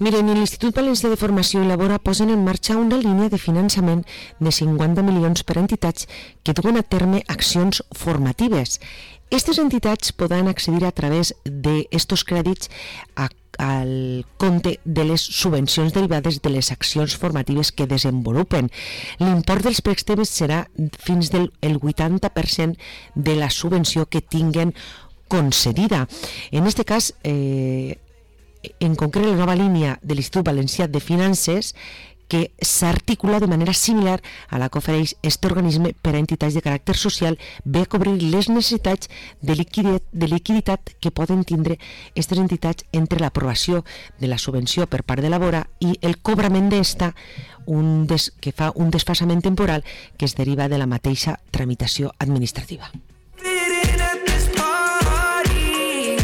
Miren, l'Institut Valencià de Formació i Labora posen en marxa una línia de finançament de 50 milions per a entitats que duen a terme accions formatives. Aquestes entitats podran accedir a través d'estos crèdits al compte de les subvencions derivades de les accions formatives que desenvolupen. L'import dels préstecs serà fins del 80% de la subvenció que tinguen concedida. En aquest cas, en concret, la nova línia de l'Institut Valencià de Finances que s'articula de manera similar a la que ofereix aquest organisme per a entitats de caràcter social, ve a cobrir les necessitats de liquiditat que poden tindre aquestes entitats entre l'aprovació de la subvenció per part de la Labora i el cobrament d'esta, que fa un desfasament temporal que es deriva de la mateixa tramitació administrativa.